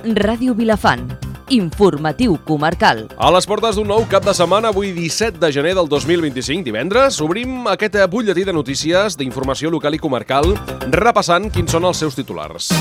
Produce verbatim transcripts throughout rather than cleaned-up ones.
Ràdio Vilafant, informatiu comarcal. A les portes d'un nou cap de setmana, avui disset de gener del dos mil vint-i-cinc, divendres, obrim aquest butlletí de notícies d'informació local i comarcal, repassant quins són els seus titulars.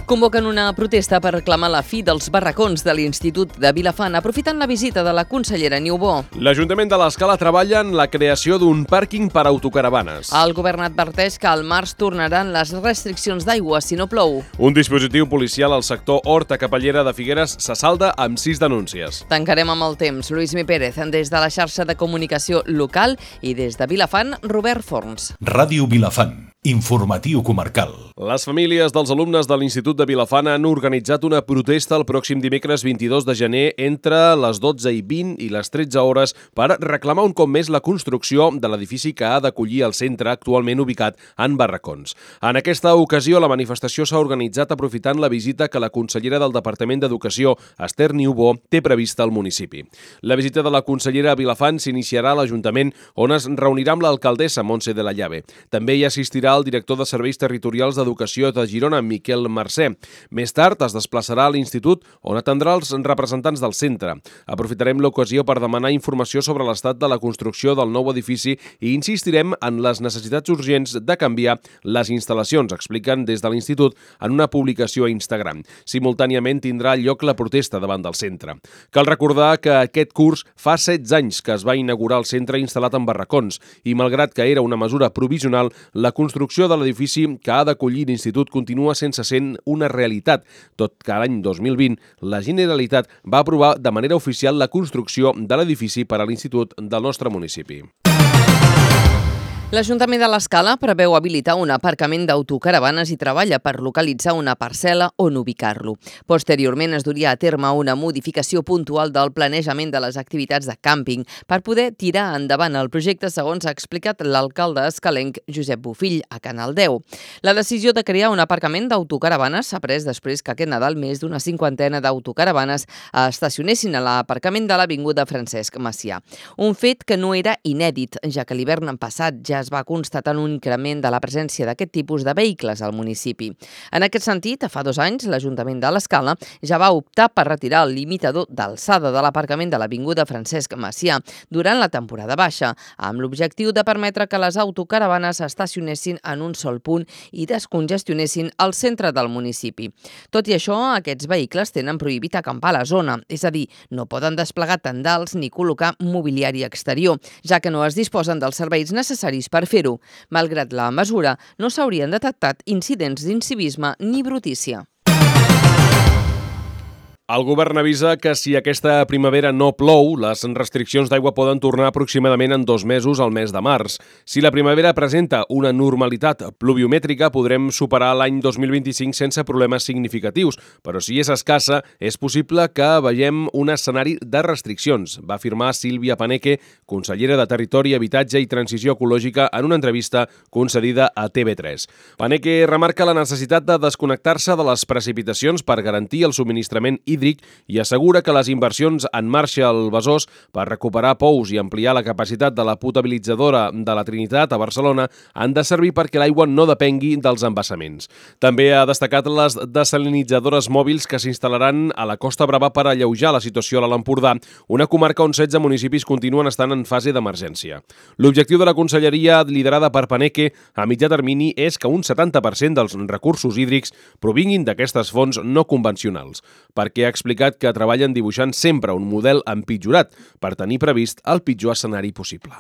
Convoquen una protesta per reclamar la fi dels barracons de l'Institut de Vilafant, aprofitant la visita de la consellera Niubó. L'Ajuntament de l'Escala treballa en la creació d'un pàrquing per a autocaravanes. El govern adverteix que al març tornaran les restriccions d'aigua si no plou. Un dispositiu policial al sector Horta Capellera de Figueres se salda amb sis denúncies. Tancarem amb el temps. Lluís Mi Pérez, des de la xarxa de comunicació local, i des de Vilafant, Robert Forns. Ràdio Vilafant, informatiu comarcal. Les famílies dels alumnes de l'Institut de Vilafant han organitzat una protesta el pròxim dimecres vint-i-dos de gener entre les dotze i vint i les tretze hores per reclamar un cop més la construcció de l'edifici que ha d'acollir el centre actualment ubicat en barracons. En aquesta ocasió, la manifestació s'ha organitzat aprofitant la visita que la consellera del Departament d'Educació, Esther Niubó, té prevista al municipi. La visita de la consellera a Vilafant s'iniciarà a l'Ajuntament, on es reunirà amb l'alcaldessa Montse de la Llave. També hi assistirà el director de Serveis Territorials d'Educació de Girona, Miquel Mercè. Més tard es desplaçarà a l'Institut, on atendrà els representants del centre. Aprofitarem l'ocasió per demanar informació sobre l'estat de la construcció del nou edifici i insistirem en les necessitats urgents de canviar les instal·lacions, expliquen des de l'Institut en una publicació a Instagram. Simultàniament tindrà lloc la protesta davant del centre. Cal recordar que aquest curs fa setze anys que es va inaugurar el centre instal·lat en barracons i, malgrat que era una mesura provisional, la construcció de l'edifici que ha d'acollir l'Institut continua sense ser una realitat, tot que l'any dos mil vint la Generalitat va aprovar de manera oficial la construcció de l'edifici per a l'Institut del nostre municipi. L'Ajuntament de l'Escala preveu habilitar un aparcament d'autocaravanes i treballa per localitzar una parcel·la on ubicar-lo. Posteriorment es duria a terme una modificació puntual del planejament de les activitats de càmping per poder tirar endavant el projecte, segons ha explicat l'alcalde escalenc Josep Bofill a Canal deu. La decisió de crear un aparcament d'autocaravanes s'ha pres després que aquest Nadal més d'una cinquantena d'autocaravanes estacionessin a l'aparcament de l'Avinguda Francesc Macià. Un fet que no era inèdit, ja que l'hivern passat ja es va constatar un increment de la presència d'aquest tipus de vehicles al municipi. En aquest sentit, fa dos anys, l'Ajuntament de l'Escala ja va optar per retirar el limitador d'alçada de l'aparcament de l'Avinguda Francesc Macià durant la temporada baixa, amb l'objectiu de permetre que les autocaravanes estacionessin en un sol punt i descongestionessin el centre del municipi. Tot i això, aquests vehicles tenen prohibit acampar a la zona, és a dir, no poden desplegar tendals ni col·locar mobiliari exterior, ja que no es disposen dels serveis necessaris per fer-ho. Malgrat la mesura, no s'haurien detectat incidents d'incivisme ni brutícia. El govern avisa que si aquesta primavera no plou, les restriccions d'aigua poden tornar aproximadament en dos mesos al mes de març. Si la primavera presenta una normalitat pluviomètrica, podrem superar l'any dos mil vint-i-cinc sense problemes significatius, però si és escassa, és possible que veiem un escenari de restriccions, va afirmar Sílvia Paneque, consellera de Territori, Habitatge i Transició Ecològica, en una entrevista concedida a T V tres. Paneque remarca la necessitat de desconnectar-se de les precipitacions per garantir el subministrament hídric i assegura que les inversions en marxa al Besòs per recuperar pous i ampliar la capacitat de la potabilitzadora de la Trinitat a Barcelona han de servir perquè l'aigua no depengui dels embassaments. També ha destacat les desalinitzadores mòbils que s'instal·laran a la Costa Brava per alleujar la situació a l'Empordà, una comarca on setze municipis continuen estant en fase d'emergència. L'objectiu de la conselleria liderada per Paneque a mitjà termini és que un setanta per cent dels recursos hídrics provinguin d'aquestes fonts no convencionals, perquè ha explicat que treballen dibuixant sempre un model empitjorat per tenir previst el pitjor escenari possible.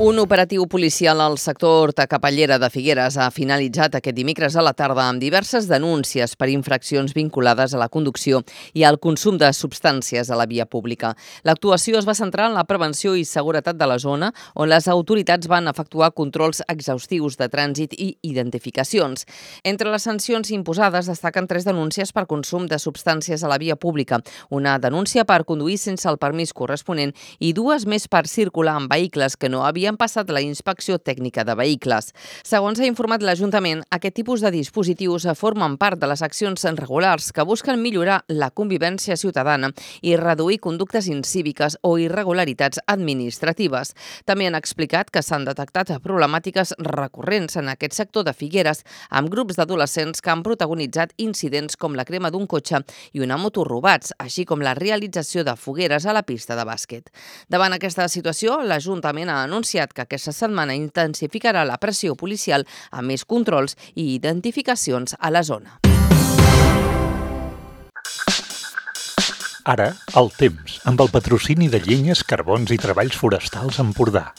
Un operatiu policial al sector Horta Capellera de Figueres ha finalitzat aquest dimecres a la tarda amb diverses denúncies per infraccions vinculades a la conducció i al consum de substàncies a la via pública. L'actuació es va centrar en la prevenció i seguretat de la zona, on les autoritats van efectuar controls exhaustius de trànsit i identificacions. Entre les sancions imposades destaquen tres denúncies per consum de substàncies a la via pública, una denúncia per conduir sense el permís corresponent i dues més per circular amb vehicles que no havien havien passat la inspecció tècnica de vehicles. Segons ha informat l'Ajuntament, aquest tipus de dispositius formen part de les accions regulars que busquen millorar la convivència ciutadana i reduir conductes incíviques o irregularitats administratives. També han explicat que s'han detectat problemàtiques recurrents en aquest sector de Figueres amb grups d'adolescents que han protagonitzat incidents com la crema d'un cotxe i una moto robats, així com la realització de fogueres a la pista de bàsquet. Davant aquesta situació, l'Ajuntament ha anunciat que aquesta setmana intensificarà la pressió policial amb més controls i identificacions a la zona. Ara, el temps, amb el patrocini de Llenyes, Carbons i Treballs Forestals Empordà.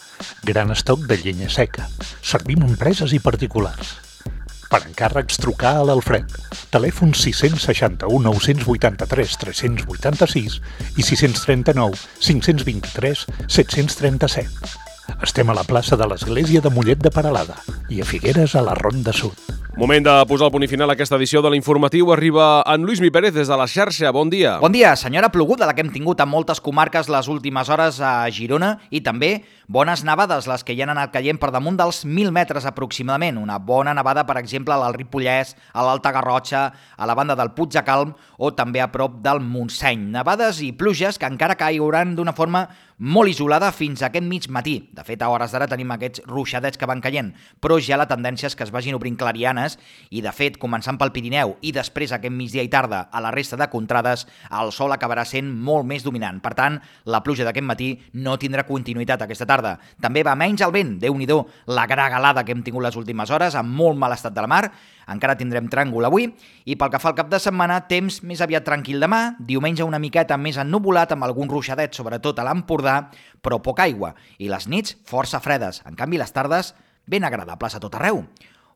Gran estoc de llenya seca. Servim empreses i particulars. Per encàrrecs, trucar a l'Alfred. Telèfon sis seixanta u nou vuitanta tres tres vuitanta sis i sis trenta nou cinc vint tres set trenta set. Estem a la plaça de l'Església de Mollet de Peralada i a Figueres, a la Ronda Sud. Moment de posar el punt i final a aquesta edició de l'Informatiu. Arriba en Lluís Mi Pérez des de la xarxa. Bon dia. Bon dia. Senyora ploguda, la que hem tingut a moltes comarques les últimes hores a Girona, i també bones nevades, les que hi han anat caient per damunt dels mil metres aproximadament. Una bona nevada, per exemple, al Ripollès, a l'Alta Garrotxa, a la banda del Puig de Calm o també a prop del Montseny. Nevades i pluges que encara cairan d'una forma molt isolada fins a aquest mig matí. De fet, a hores d'ara tenim aquests ruixadets que van caient, però ja la tendència és que es vagin obrint clarianes i, de fet, començant pel Pirineu i després aquest migdia i tarda a la resta de contrades, el sol acabarà sent molt més dominant. Per tant, la pluja d'aquest matí no tindrà continuïtat aquesta tarda. També va menys el vent, Déu-n'hi-do la gragalada que hem tingut les últimes hores, amb molt mal estat de la mar. Encara tindrem tràngol avui, i pel que fa al cap de setmana, temps més aviat tranquil demà, diumenge una miqueta més ennuvolat amb algun ruixadet, sobretot a l'Empordà, però poca aigua, i les nits força fredes. En canvi, les tardes ben agradables a tot arreu.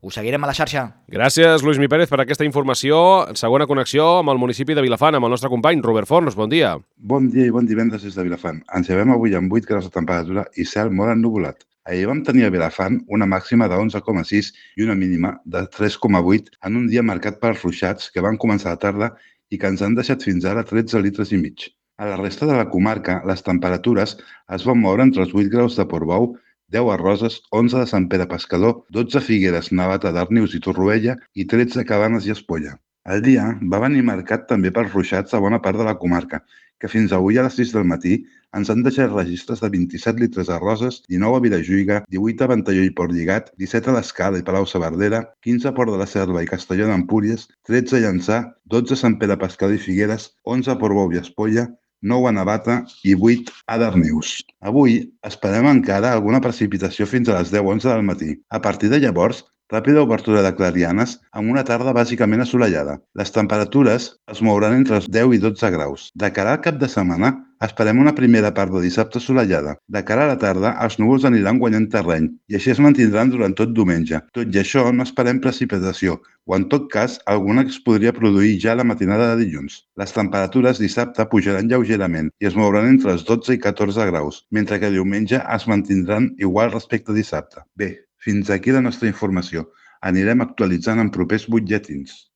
Us seguirem a la xarxa. Gràcies, Lluís Mi Pérez, per aquesta informació. Segona connexió amb el municipi de Vilafant, amb el nostre company Robert Forns. Bon dia. Bon dia i bon divendres des de Vilafant. Ens llevem avui amb vuit graus de temperatura i cel molt ennuvolat. Ahir vam tenir a Vilafant una màxima de onze coma sis i una mínima de tres coma vuit en un dia marcat per ruixats que van començar a la tarda i que ens han deixat fins ara tretze litres i mig. A la resta de la comarca, les temperatures es van moure entre els vuit graus de Portbou, deu a Roses, onze de Sant Pere Pescador, dotze a Figueres, Navata, Darnius i Torroella i tretze a Cabanes i Espolla. El dia va venir marcat també per ruixats a bona part de la comarca, que fins avui a les sis del matí ens han deixat registres de vint-i-set litres a Roses, dinou a Vilajuïga, divuit a Ventalló i Port Lligat, disset a l'Escala i Palau-saverdera, quinze a Port de la Selva i Castelló d'Empúries, tretze a Llançà, dotze a Sant Pere Pescador i Figueres, onze a Portbou i Espolla, nou a Navata i vuit a Darnius. Avui esperem encara alguna precipitació fins a les deu onze del matí. A partir de llavors, ràpida obertura de clarianes amb una tarda bàsicament assolellada. Les temperatures es mouran entre els deu i dotze graus. De cara al cap de setmana, esperem una primera part de dissabte assolellada. De cara a la tarda, els núvols aniran guanyant terreny i així es mantindran durant tot diumenge. Tot i això, no esperem precipitació, o en tot cas, alguna que es podria produir ja a la matinada de dilluns. Les temperatures dissabte pujaran lleugerament i es mouran entre els dotze i catorze graus, mentre que diumenge es mantindran igual respecte a dissabte. Bé, fins aquí la nostra informació. Anirem actualitzant en propers butlletins.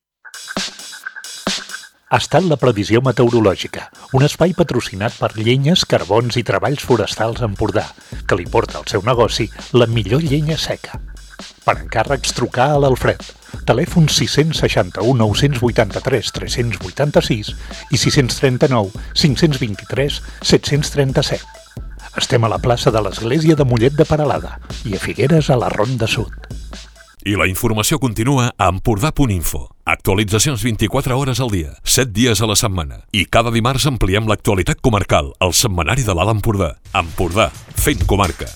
Ha estat la previsió meteorològica, un espai patrocinat per Llenyes, Carbons i Treballs Forestals Empordà, que li porta al seu negoci la millor llenya seca. Per encàrrecs, trucar a l'Alfred. Telèfon sis seixanta u nou vuitanta tres tres vuitanta sis i sis trenta nou cinc vint tres set trenta set. Estem a la plaça de l'Església de Mollet de Peralada i a Figueres, a la Ronda Sud. I la informació continua a empordà punt info. Actualitzacions vint-i-quatre hores al dia, set dies a la setmana. I cada dimarts ampliem l'actualitat comarcal, al setmanari de l'Alt Empordà. Empordà, fent comarca.